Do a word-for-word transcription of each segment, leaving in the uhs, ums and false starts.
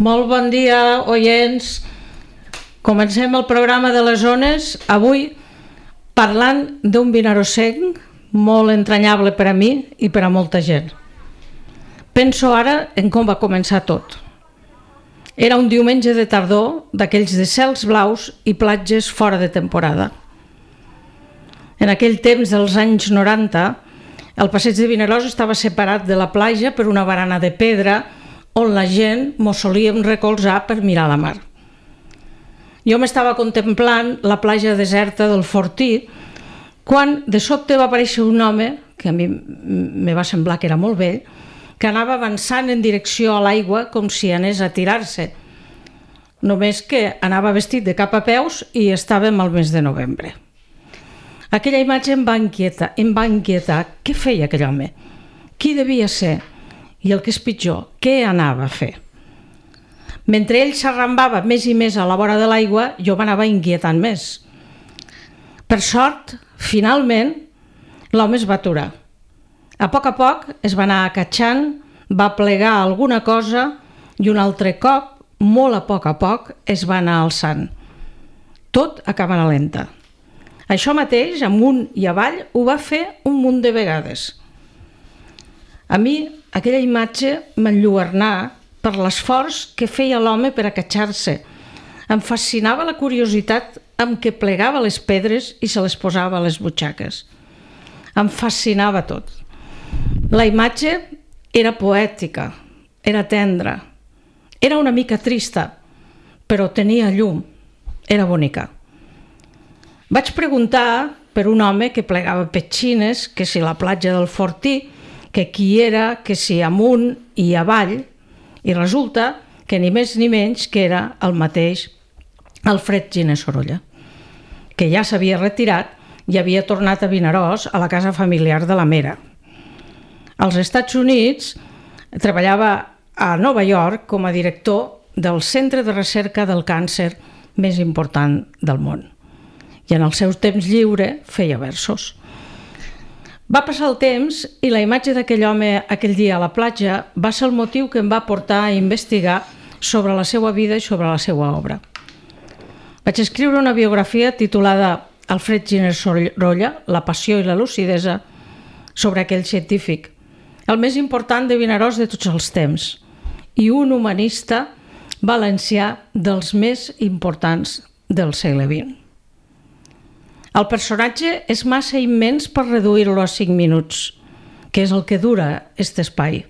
Molt bon dia, oients. Comencem el programa de les ones, avui parlant d'un vinarossenc molt entranyable per a mi i per a molta gent. Penso ara en com va començar tot. Era un diumenge de tardor, d'aquells de cels blaus i platges fora de temporada. En aquell temps dels anys noranta, el passeig de Vinaròs estava separat de la platja per una barana de pedra on la gent mos solíem recolzar per mirar la mar. Jo m'estava contemplant la platja deserta del Fortí quan de sobte va aparèixer un home, que a mi me va semblar que era molt vell, que anava avançant en direcció a l'aigua com si anés a tirar-se. Només que anava vestit de cap a peus i estàvem al mes de novembre. Aquella imatge em va inquietar, em va inquietar. Què feia aquell home? Qui devia ser? I el que és pitjor, què anava a fer? Mentre ell s'arrambava més i més a la vora de l'aigua, jo m'anava inquietant més. Per sort, finalment, l'home es va aturar. A poc a poc es va anar acatxant, va plegar alguna cosa i un altre cop, molt a poc a poc, es va anar alçant. Tot a càmera lenta. Això mateix, amunt i avall, ho va fer un munt de vegades. A mi, aquella imatge m'enlluernà per l'esforç que feia l'home per acatxar-se. Em fascinava la curiositat amb què plegava les pedres i se les posava a les butxaques. Em fascinava tot. La imatge era poètica, era tendra, era una mica trista, però tenia llum, era bonica. Vaig preguntar per un home que plegava petxines, que si la platja del Fortí, que qui era, que si amunt i avall, i resulta que ni més ni menys que era el mateix Alfred Giner Sorolla, que ja s'havia retirat i havia tornat a Vinaròs, a la casa familiar de la Mera. Als Estats Units treballava a Nova York com a director del centre de recerca del càncer més important del món. I en el seu temps lliure feia versos. Va passar el temps i la imatge d'aquell home aquell dia a la platja va ser el motiu que em va portar a investigar sobre la seva vida i sobre la seva obra. Vaig escriure una biografia titulada Alfred Giner Sorolla, la passió i la lucidesa, sobre aquell científic, el més important de Vinaròs de tots els temps i un humanista valencià dels més importants del segle vint. El personatge és massa immens per reduir-lo a cinc minuts, que és el que dura aquest espai.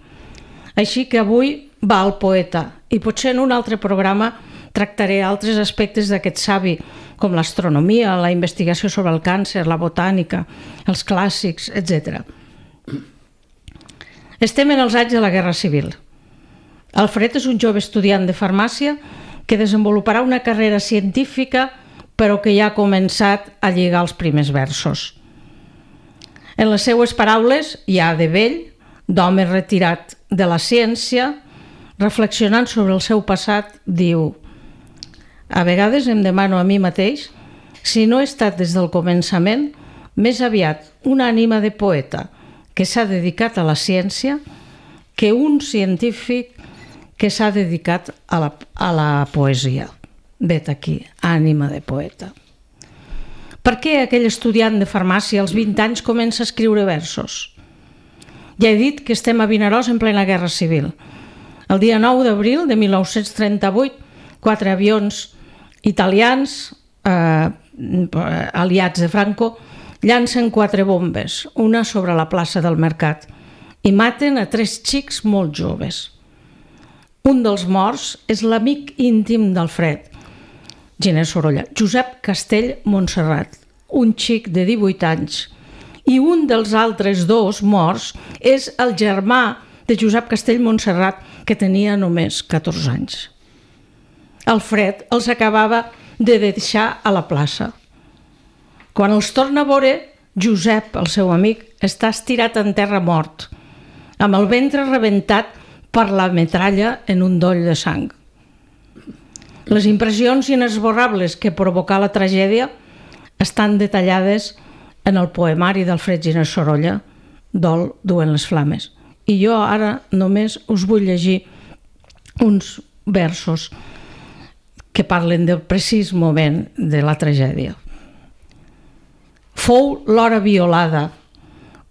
Així que avui va al poeta i potser en un altre programa tractaré altres aspectes d'aquest savi, com l'astronomia, la investigació sobre el càncer, la botànica, els clàssics, etcètera. Estem en els anys de la Guerra Civil. Alfred és un jove estudiant de farmàcia que desenvoluparà una carrera científica però que ja ha començat a lligar els primers versos. En les seues paraules, ja de vell, d'home retirat de la ciència, reflexionant sobre el seu passat, diu: a vegades em demano a mi mateix si no he estat des del començament més aviat una ànima de poeta que s'ha dedicat a la ciència que un científic que s'ha dedicat a la, a la poesia. Vet aquí, ànima de poeta. Per què aquell estudiant de farmàcia als vint anys comença a escriure versos? Ja he dit que estem a Vinaròs en plena Guerra Civil. El dia nou d'abril de mil nou-cents trenta-vuit, quatre avions italians, eh, aliats de Franco, llancen quatre bombes, una sobre la plaça del Mercat, i maten a tres xics molt joves. Un dels morts és l'amic íntim d'Alfred Giner Sorolla, Josep Castell Montserrat, un xic de divuit anys, i un dels altres dos morts és el germà de Josep Castell Montserrat, que tenia només catorze anys. Alfred els acabava de deixar a la plaça. Quan els torna a veure, Josep, el seu amic, està estirat en terra mort, amb el ventre rebentat per la metralla en un doll de sang. Les impressions inesborrables que provocà la tragèdia estan detallades en el poemari d'Alfred Giner Sorolla, Dol duent les flames. I jo ara només us vull llegir uns versos que parlen del precís moment de la tragèdia. Fou l'hora violada,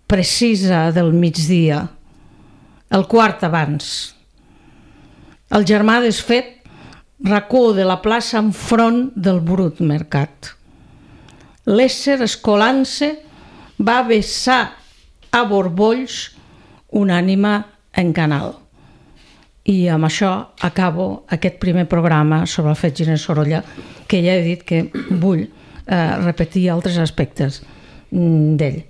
precisa del migdia, el quart abans. El germà desfet racó de la plaça enfront del brut mercat. L'ésser escolant-se va vessar a borbolls una ànima en canal. I amb això acabo aquest primer programa sobre el fet Giner Sorolla, que ja he dit que vull eh, repetir altres aspectes d'ell.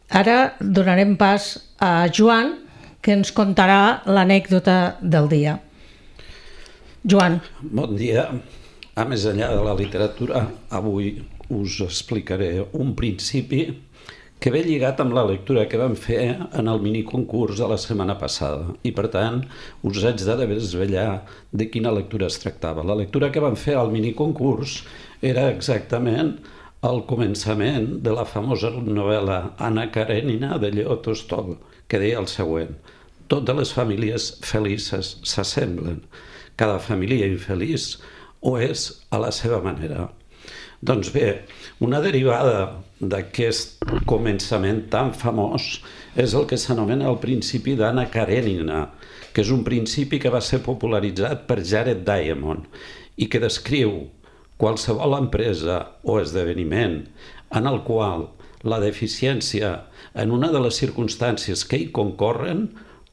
Ara donarem pas a Joan, que ens contarà l'anècdota del dia. Joan. Bon dia. A més enllà de la literatura, avui us explicaré un principi que ve lligat amb la lectura que vam fer en el miniconcurs de la setmana passada. I, per tant, us haig de desvetllar de quina lectura es tractava. La lectura que vam fer al miniconcurs era exactament el començament de la famosa novel·la Anna Karenina de Leo Tolstoi, que deia el següent: totes les famílies felices s'assemblen, cada família infeliç ho és a la seva manera. Doncs bé, una derivada d'aquest començament tan famós és el que s'anomena el principi d'Anna Karenina, que és un principi que va ser popularitzat per Jared Diamond i que descriu qualsevol empresa o esdeveniment en el qual la deficiència en una de les circumstàncies que hi concorren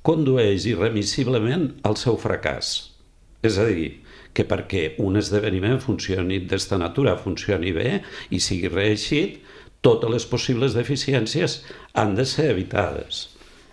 condueix irremissiblement al seu fracàs. És a dir, que perquè un esdeveniment funcioni d'esta natura, funcioni bé i sigui reeixit, totes les possibles deficiències han de ser evitades.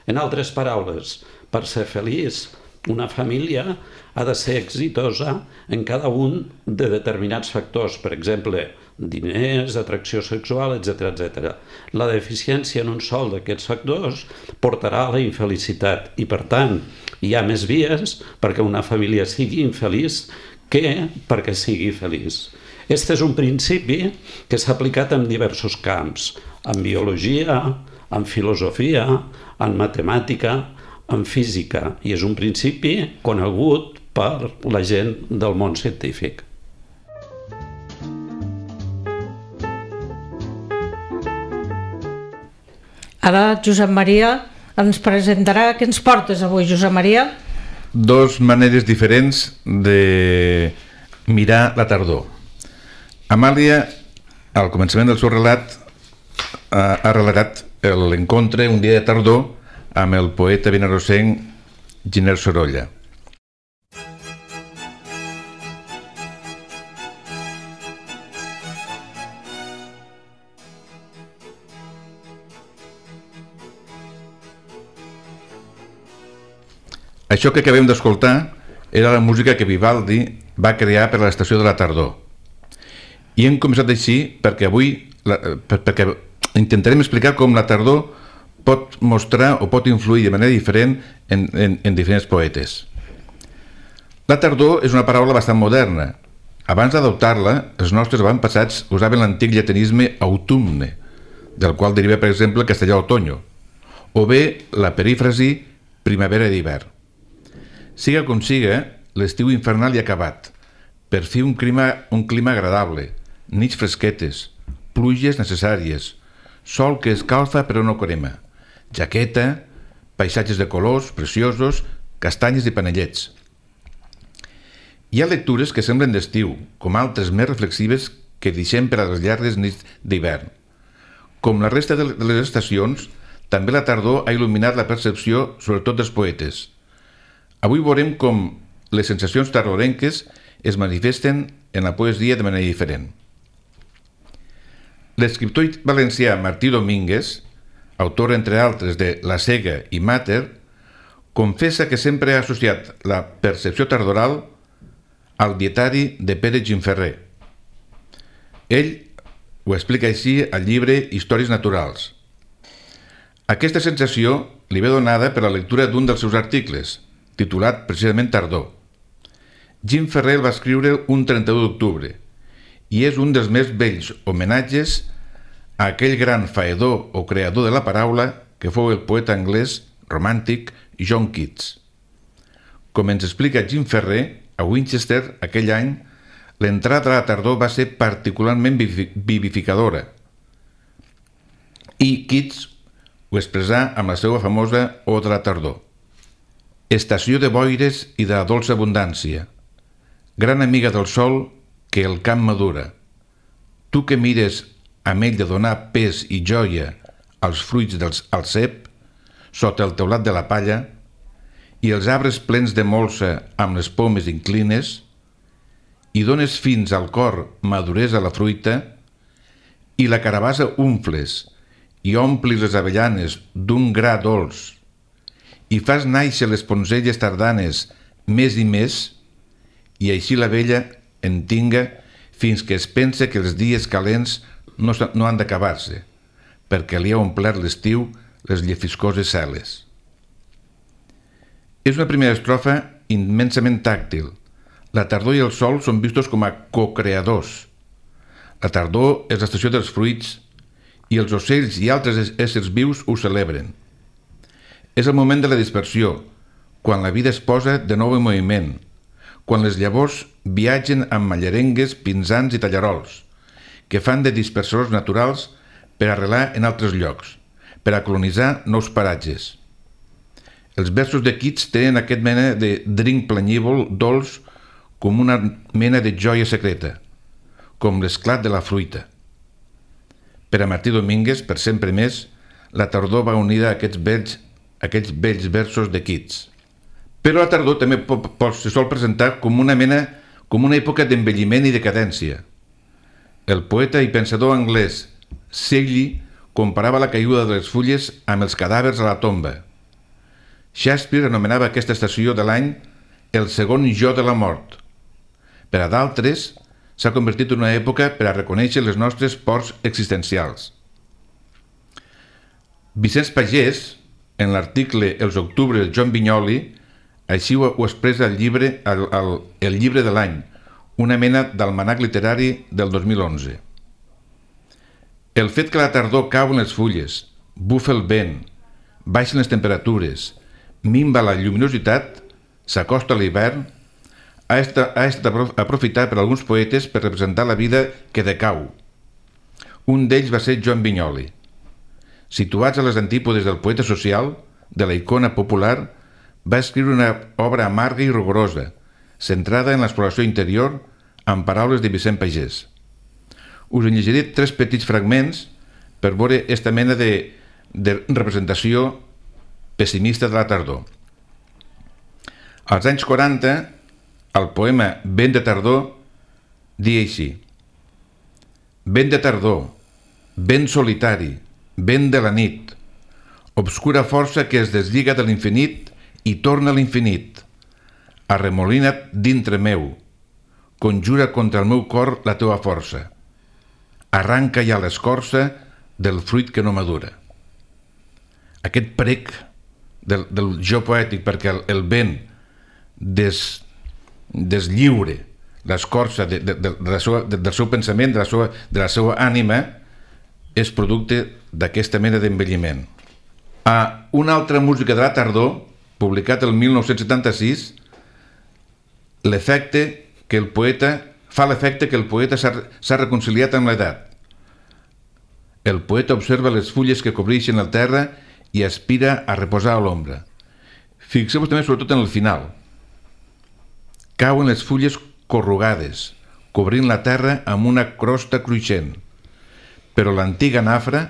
En altres paraules, per ser feliç, una família ha de ser exitosa en cada un de determinats factors, per exemple, diners, atracció sexual, etcètera, etcètera. La deficiència en un sol d'aquests factors portarà a la infelicitat i, per tant, hi ha més vies perquè una família sigui infeliç que perquè sigui feliç. Este és un principi que s'ha aplicat en diversos camps, en biologia, en filosofia, en matemàtica, en física, i és un principi conegut per la gent del món científic. Ara Josep Maria ens presentarà què ens portes avui, Josep Maria. Dos maneres diferents de mirar la tardor. Amàlia, al començament del seu relat, ha relatat l'encontre un dia de tardor amb el poeta vinarossenc Giner Sorolla. Això que acabem d'escoltar era la música que Vivaldi va crear per a l'estació de la tardor. I hem començat així perquè avui perquè intentarem explicar com la tardor pot mostrar o pot influir de manera diferent en, en, en diferents poetes. La tardor és una paraula bastant moderna. Abans d'adoptar-la, els nostres avantpassats usaven l'antic llatinisme autumne, del qual deriva, per exemple, el castellà otoño, o bé la perífrasi primavera d'hivern. Siga com siga, l'estiu infernal hi ha acabat. Per fi un clima, un clima agradable, nits fresquetes, pluges necessàries, sol que escalfa però no crema, jaqueta, paisatges de colors preciosos, castanyes i panellets. Hi ha lectures que semblen d'estiu, com altres més reflexives que deixem per a les llargues nits d'hivern. Com la resta de les estacions, també la tardor ha il·luminat la percepció, sobretot dels poetes. Avui veurem com les sensacions tardorenques es manifesten en la poesia de manera diferent. L'escriptor valencià Martí Domínguez, autor, entre altres, de La cega i Mater, confessa que sempre ha associat la percepció tardoral al dietari de Pere Gimferrer. Ell ho explica així al llibre Històries naturals. Aquesta sensació li ve donada per la lectura d'un dels seus articles, titulat precisament Tardor. Gimferrer el va escriure un trenta-u d'octubre i és un dels més bells homenatges a aquell gran faedor o creador de la paraula que fou el poeta anglès romàntic John Keats. Com ens explica Jim Ferrer, a Winchester, aquell any, l'entrada de la tardor va ser particularment vivificadora. I Keats ho expressà amb la seva famosa Oda de la tardor. Estació de boires i de la dolça abundància, gran amiga del sol que el camp madura. Tu que mires amb ell de donar pes i joia als fruits del cep, sota el teulat de la palla, i els arbres plens de molsa amb les pomes inclines, i dones fins al cor maduresa la fruita, i la carabassa umfles, i omplis les avellanes d'un gra dolç, i fas nàixer les poncelles tardanes més i més, i així la vella en tinga fins que es pensa que els dies calents no, no han d'acabar-se, perquè li ha omplert l'estiu les llefiscoses celes. És una primera estrofa immensament tàctil. La tardor i el sol són vistos com a cocreadors. La tardor és l'estació dels fruits i els ocells i altres éssers vius ho celebren. És el moment de la dispersió, quan la vida es posa de nou en moviment, quan les llavors viatgen amb mallarengues, pinzans i tallarols, que fan de dispersors naturals per arrelar en altres llocs, per a colonitzar nous paratges. Els versos de Keats tenen aquest mena de drink planyívol, dolç, com una mena de joia secreta, com l'esclat de la fruita. Per a Martí Domínguez, per sempre més, la tardor va unida a aquests vells, aquests vells versos de Keats. Però la tardor també se sol presentar com una mena, com una època d'envelliment i decadència. El poeta i pensador anglès Shelley comparava la caiguda de les fulles amb els cadàvers a la tomba. Shakespeare anomenava aquesta estació de l'any el segon jo de la mort. Per a d'altres, s'ha convertit en una època per a reconèixer les nostres pors existencials. Vicenç Pagès, en l'article Els octubres de Joan Vinyoli, així ho, ho expressa el llibre, el, el, el llibre de l'any, una mena d'almanac literari del dos mil onze. El fet que la tardor cau en les fulles, bufa el vent, baixen les temperatures, minva la lluminositat, s'acosta a l'hivern, ha estat, ha estat aprofitat per alguns poetes per representar la vida que decau. Un d'ells va ser Joan Vinyoli. Situats a les antípodes del poeta social, de la icona popular, va escriure una obra amarga i rigorosa, centrada en l'exploració interior, amb paraules de Vicent Pagès. Us en llegiré tres petits fragments per veure aquesta mena de, de representació pessimista de la tardor. Als anys quaranta, el poema Vent de tardor diu així: vent de tardor, vent solitari, vent de la nit, obscura força que es deslliga de l'infinit i torna a l'infinit, arremolina't dintre meu, conjura contra el meu cor la teua força, arranca ja l'escorça del fruit que no madura. Aquest prec del, del jo poètic, perquè el, el vent des, deslliure l'escorça de, de, de, de la seva, de, del seu pensament, de la seva, de la seva ànima, és producte d'aquesta mena d'envelliment. A una altra música de la tardor, publicat el mil nou-cents setanta-sis, l'efecte que el poeta fa l'efecte que el poeta s'ha reconciliat amb l'edat. El poeta observa les fulles que cobreixen la terra i aspira a reposar a l'ombra. Fixeu-vos també sobretot en el final. Cauen les fulles corrugades, cobrint la terra amb una crosta cruixent, però l'antiga nafra,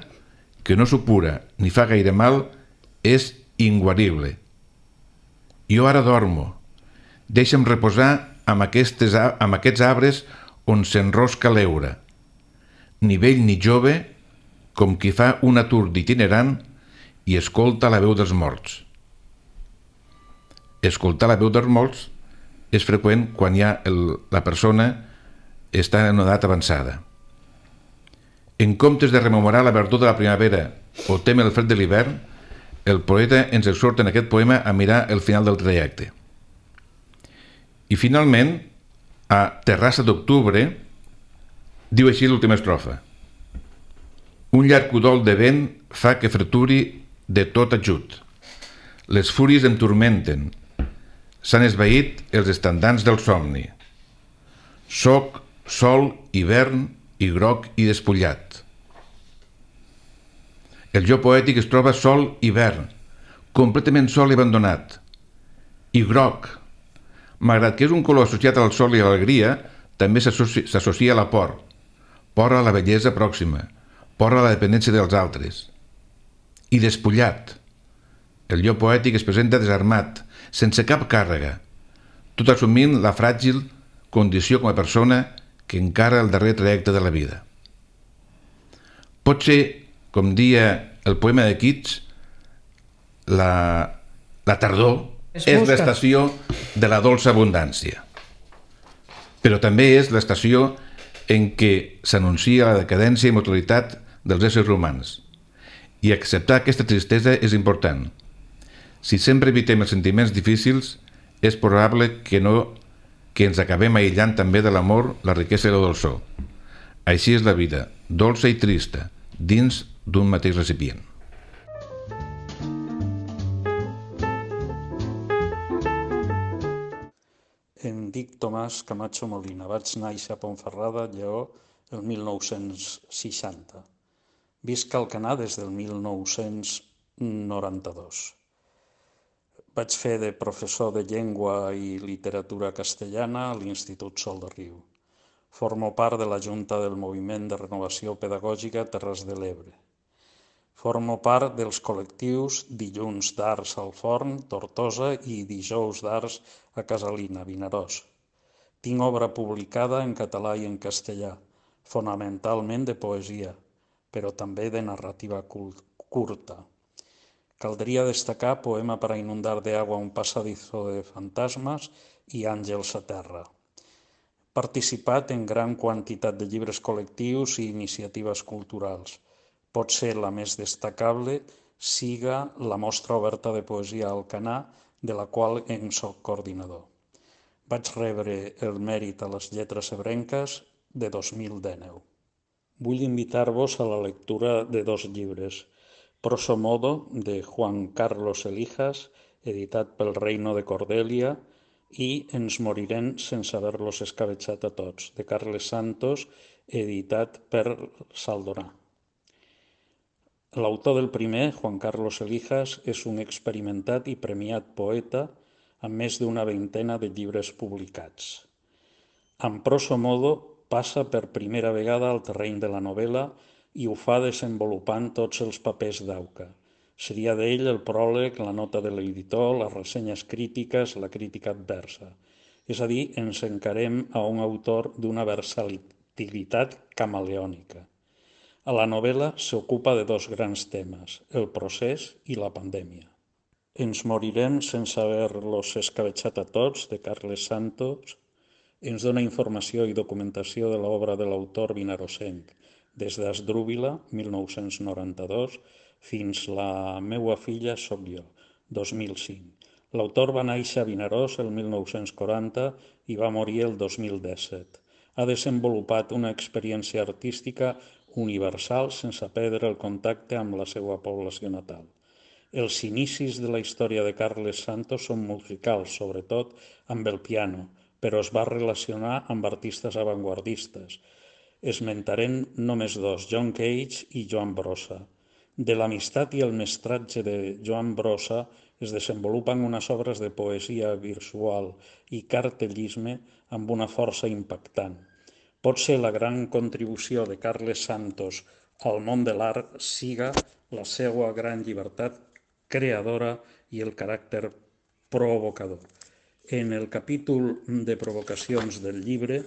que no supura ni fa gaire mal, és inguarible. Jo ara dormo, deixa'm reposar amb, aquestes, amb aquests arbres on s'enrosca l'heura. Ni vell ni jove, com qui fa un atur d'itinerant i escolta la veu dels morts. Escoltar la veu dels morts és freqüent quan ja el, la persona està en una edat avançada. En comptes de rememorar la verdor de la primavera o teme el fred de l'hivern, el poeta ens exhorta en aquest poema a mirar el final del trajecte. I finalment, a Terrassa d'octubre, diu així l'última estrofa: un llarg udol de vent fa que freturi de tot ajut. Les fúries em turmenten. S'han esvaït els estandants del somni. Soc sol, hivern i groc i despullat. El jo poètic es troba sol, hivern, completament sol i abandonat. I groc, malgrat que és un color associat al sol i a l'alegria, també s'associa a la por. Por a la bellesa pròxima, por a la dependència dels altres. I despullat. El jo poètic es presenta desarmat, sense cap càrrega, tot assumint la fràgil condició com a persona que encara el darrer trajecte de la vida. Pot ser, com dia el poema de Keats, la, la tardor és l'estació de la dolça abundància. Però també és l'estació en què s'anuncia la decadència i mortalitat dels éssers humans. I acceptar aquesta tristesa és important. Si sempre evitem els sentiments difícils, és probable que, no, que ens acabem aïllant també de l'amor, la riquesa i la dolçor. Així és la vida, dolça i trista, dins d'un mateix recipient. Em dic Tomàs Camacho Molina. Vaig néixer a Ponferrada, Lleó, el mil nou-cents seixanta. Visc a Alcanar des del mil nou-cents noranta-dos. Vaig fer de professor de llengua i literatura castellana a l'Institut Sol de Riu. Formo part de la Junta del Moviment de Renovació Pedagògica Terres de l'Ebre. Formo part dels col·lectius Dilluns d'Arts al Forn, Tortosa, i Dijous d'Arts a Casalina, Vinaròs. Tinc obra publicada en català i en castellà, fonamentalment de poesia, però també de narrativa curta. Caldria destacar Poema para inundar de agua un pasadizo de fantasmas i Àngels a terra. He participat en gran quantitat de llibres col·lectius i iniciatives culturals. Potser la més destacable siga la Mostra Oberta de Poesia a Alcanar, de la qual en soc coordinador. Vaig rebre el mèrit a les lletres ebrenques de dos mil dinou. Vull invitar-vos a la lectura de dos llibres. Proso Modo, de Juan Carlos Elijas, editat pel Reino de Cordelia, i Ens morirem sense haver-los escabetxat a tots, de Carles Santos, editat per Saldonà. L'autor del primer, Juan Carlos Elijas, és un experimentat i premiat poeta amb més d'una vintena de llibres publicats. En Proso Modo passa per primera vegada al terreny de la novel·la i ho fa desenvolupant tots els papers d'Auca. Seria d'ell el pròleg, la nota de l'editor, les ressenyes crítiques, la crítica adversa. És a dir, ens encarem a un autor d'una versatilitat camaleònica. A la novel·la s'ocupa de dos grans temes, el procés i la pandèmia. Ens morirem sense haver-los escabetxat a tots, de Carles Santos, ens dona informació i documentació de l'obra de l'autor vinarosenc, des d'Asdrúbila, mil nou-cents noranta-dos, fins La meua filla soc jo, dos mil cinc. L'autor va néixer a Vinaròs el mil nou-cents quaranta i va morir el dos mil disset. Ha desenvolupat una experiència artística universal sense perdre el contacte amb la seva població natal. Els inicis de la història de Carles Santos són musicals, sobretot amb el piano, però es va relacionar amb artistes avantguardistes. Esmentarem només dos, John Cage i Joan Brossa. De l'amistat i el mestratge de Joan Brossa es desenvolupen unes obres de poesia visual i cartellisme amb una força impactant. Potser la gran contribució de Carles Santos al món de l'art siga la seva gran llibertat creadora i el caràcter provocador. En el capítol de provocacions del llibre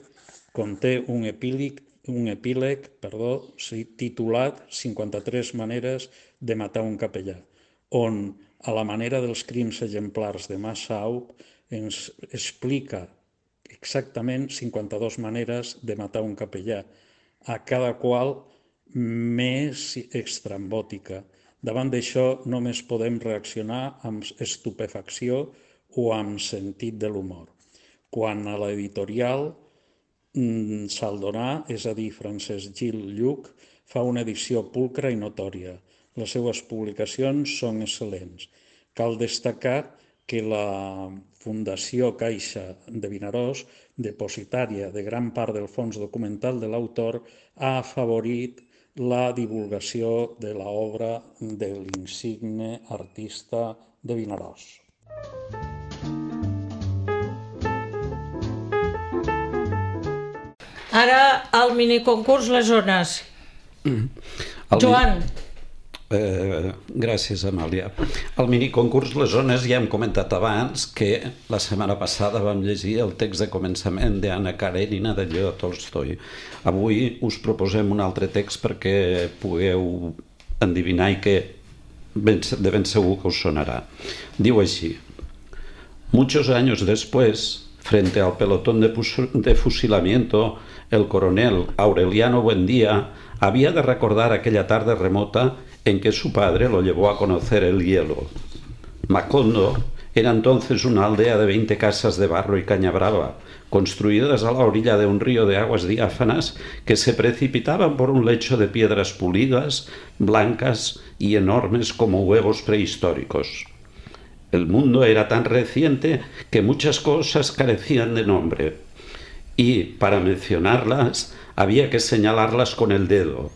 conté un epíleg un epíleg perdó, titulat cinquanta-tres maneres de matar un capellà, on, a la manera dels crims exemplars de Massaub, ens explica exactament cinquanta-dues maneres de matar un capellà, a cada qual més estrambòtica. Davant d'això només podem reaccionar amb estupefacció o amb sentit de l'humor. Quan a l'editorial Saldonà, és a dir, Francesc Gil Lluc, fa una edició pulcra i notòria. Les seues publicacions són excel·lents. Cal destacar que la Fundació Caixa de Vinaròs, depositària de gran part del fons documental de l'autor, ha afavorit la divulgació de l'obra de l'insigne artista de Vinaròs. Ara el miniconcurs Les Zones. El Joan. Eh, gràcies, Amàlia. El miniconcurs Les Zones ja hem comentat abans que la setmana passada vam llegir el text de començament d'Anna Karenina de Leo Tolstoi. Avui us proposem un altre text perquè pugueu endevinar i que de ben segur que us sonarà. Diu així: Muchos años después, frente al pelotón de, de fusilamiento, el coronel Aureliano Buendía había de recordar aquella tarde remota en que su padre lo llevó a conocer el hielo. Macondo era entonces una aldea de veinte casas de barro y caña brava, construidas a la orilla de un río de aguas diáfanas que se precipitaban por un lecho de piedras pulidas, blancas y enormes como huevos prehistóricos. El mundo era tan reciente que muchas cosas carecían de nombre y, para mencionarlas, había que señalarlas con el dedo.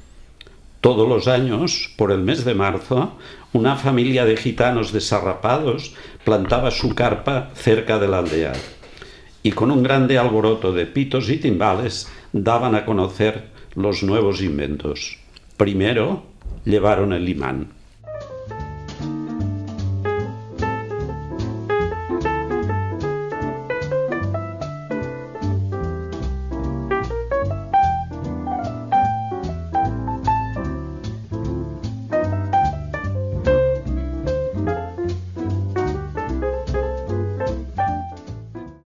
Todos los años, por el mes de marzo, una familia de gitanos desarrapados plantaba su carpa cerca de la aldea y con un grande alboroto de pitos y timbales daban a conocer los nuevos inventos. Primero llevaron el imán.